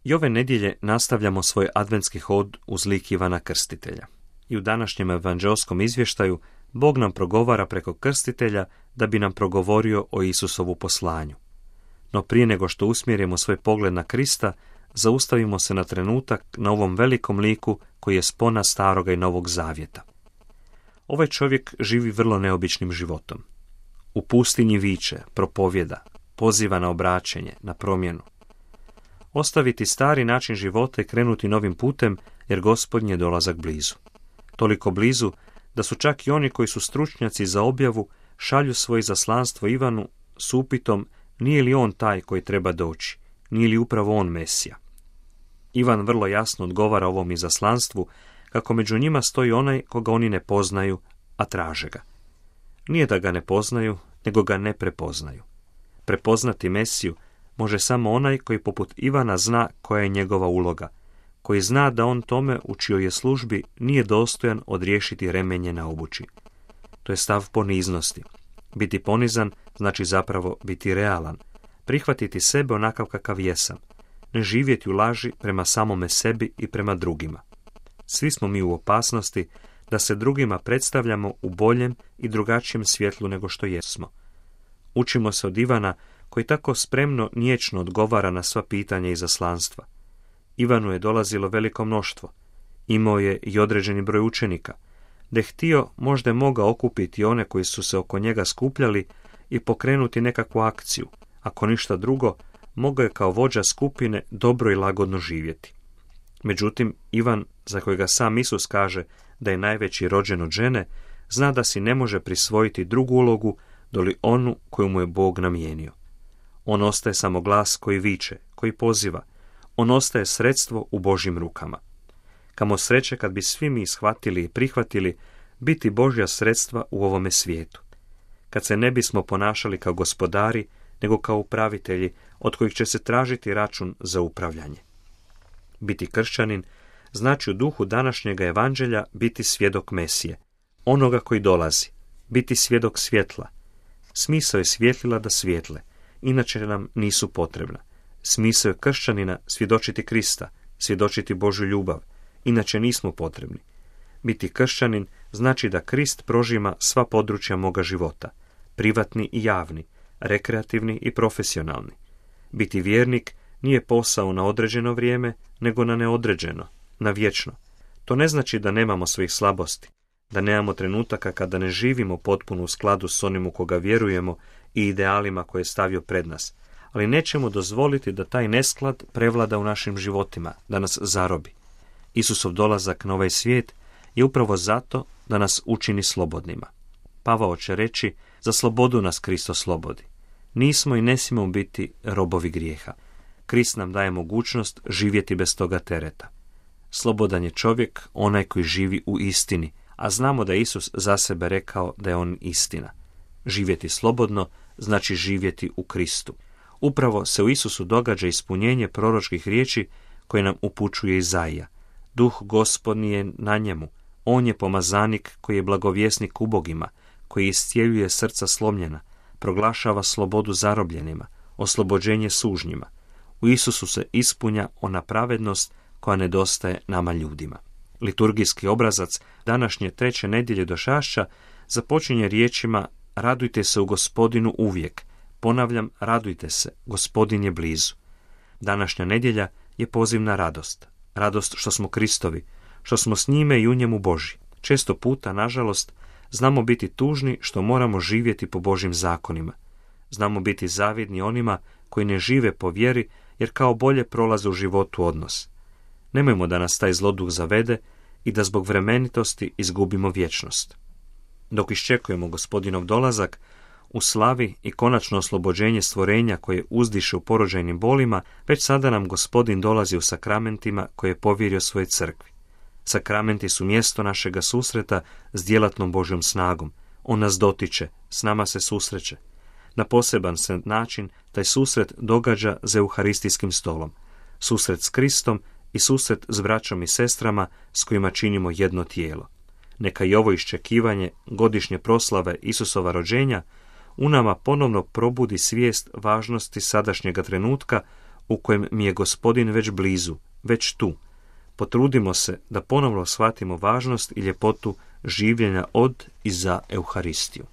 I ove nedjelje nastavljamo svoj adventski hod uz lik Ivana Krstitelja. I u današnjem evanđeoskom izvještaju Bog nam progovara preko krstitelja da bi nam progovorio o Isusovu poslanju. No prije nego što usmjerimo svoj pogled na Krista, zaustavimo se na trenutak na ovom velikom liku koji je spona Staroga i Novog Zavjeta. Ovaj čovjek živi vrlo neobičnim životom. U pustinji viče, propovjeda, poziva na obraćenje, na promjenu. Ostaviti stari način života i krenuti novim putem, jer Gospodnji je dolazak blizu. Toliko blizu da su čak i oni koji su stručnjaci za objavu šalju svoje izaslanstvo Ivanu s upitom nije li on taj koji treba doći, nije li upravo on Mesija. Ivan vrlo jasno odgovara ovom izaslanstvu kako među njima stoji onaj koga oni ne poznaju, a traže ga. Nije da ga ne poznaju, nego ga ne prepoznaju. Prepoznati Mesiju može samo onaj koji poput Ivana zna koja je njegova uloga, koji zna da on tome u čijoj je službi nije dostojan odriješiti remenje na obući. To je stav poniznosti. Biti ponizan znači zapravo biti realan, prihvatiti sebe onakav kakav jesam, ne živjeti u laži prema samome sebi i prema drugima. Svi smo mi u opasnosti da se drugima predstavljamo u boljem i drugačijem svjetlu nego što jesmo. Učimo se od Ivana koji tako spremno niječno odgovara na sva pitanja izaslanstva. Ivanu je dolazilo veliko mnoštvo. Imao je i određeni broj učenika. Da je htio, možda je mogao okupiti one koji su se oko njega skupljali i pokrenuti nekakvu akciju. Ako ništa drugo, mogao je kao vođa skupine dobro i lagodno živjeti. Međutim, Ivan, za kojega sam Isus kaže da je najveći rođen od žene, zna da si ne može prisvojiti drugu ulogu doli onu koju mu je Bog namijenio. On ostaje samo glas koji viče, koji poziva. On ostaje sredstvo u Božjim rukama. Kamo sreće kad bi svi mi shvatili i prihvatili biti Božja sredstva u ovome svijetu. Kad se ne bismo ponašali kao gospodari, nego kao upravitelji od kojih će se tražiti račun za upravljanje. Biti kršćanin znači u duhu današnjega evanđelja biti svjedok Mesije, onoga koji dolazi, biti svjedok svjetla. Smisao je svjetlila da svijetle, inače nam nisu potrebna. Smisao je kršćanina svjedočiti Krista, svjedočiti Božju ljubav, inače nismo potrebni. Biti kršćanin znači da Krist prožima sva područja moga života, privatni i javni, rekreativni i profesionalni. Biti vjernik nije posao na određeno vrijeme, nego na neodređeno, na vječno. To ne znači da nemamo svojih slabosti, da nemamo trenutaka kada ne živimo potpuno u skladu s onim u koga vjerujemo i idealima koje je stavio pred nas, ali nećemo dozvoliti da taj nesklad prevlada u našim životima, da nas zarobi. Isusov dolazak na ovaj svijet je upravo zato da nas učini slobodnima. Pavao će reći, za slobodu nas Kristo slobodi. Nismo i ne smijemo biti robovi grijeha. Krist nam daje mogućnost živjeti bez toga tereta. Slobodan je čovjek onaj koji živi u istini, a znamo da je Isus za sebe rekao da je on istina. Živjeti slobodno znači živjeti u Kristu. Upravo se u Isusu događa ispunjenje proročkih riječi koje nam upućuje Izaija. Duh Gospodnji je na njemu. On je pomazanik koji je blagovjesnik ubogima, koji iscijeljuje srca slomljena, proglašava slobodu zarobljenima, oslobođenje sužnjima. U Isusu se ispunja ona pravednost koja nedostaje nama ljudima. Liturgijski obrazac današnje 3. nedjelje Došašća započinje riječima radujte se u Gospodinu uvijek. Ponavljam, radujte se, Gospodin je blizu. Današnja nedjelja je poziv na radost. Radost što smo Kristovi, što smo s njime i u njemu Božji. Često puta, nažalost, znamo biti tužni što moramo živjeti po Božjim zakonima. Znamo biti zavidni onima koji ne žive po vjeri jer kao bolje prolaze u životu odnos. Nemojmo da nas taj zloduh zavede i da zbog vremenitosti izgubimo vječnost. Dok iščekujemo Gospodinov dolazak, u slavi i konačno oslobođenje stvorenja koje uzdiše u porođajnim bolima, već sada nam Gospodin dolazi u sakramentima koje je povjerio svojoj crkvi. Sakramenti su mjesto našega susreta s djelatnom Božjom snagom. On nas dotiče, s nama se susreće. Na poseban se način taj susret događa za euharistijskim stolom. Susret s Kristom i susret s braćom i sestrama s kojima činimo jedno tijelo. Neka i ovo iščekivanje godišnje proslave Isusova rođenja u nama ponovno probudi svijest važnosti sadašnjega trenutka u kojem mi je Gospodin već blizu, već tu. Potrudimo se da ponovno shvatimo važnost i ljepotu življenja od i za Euharistiju.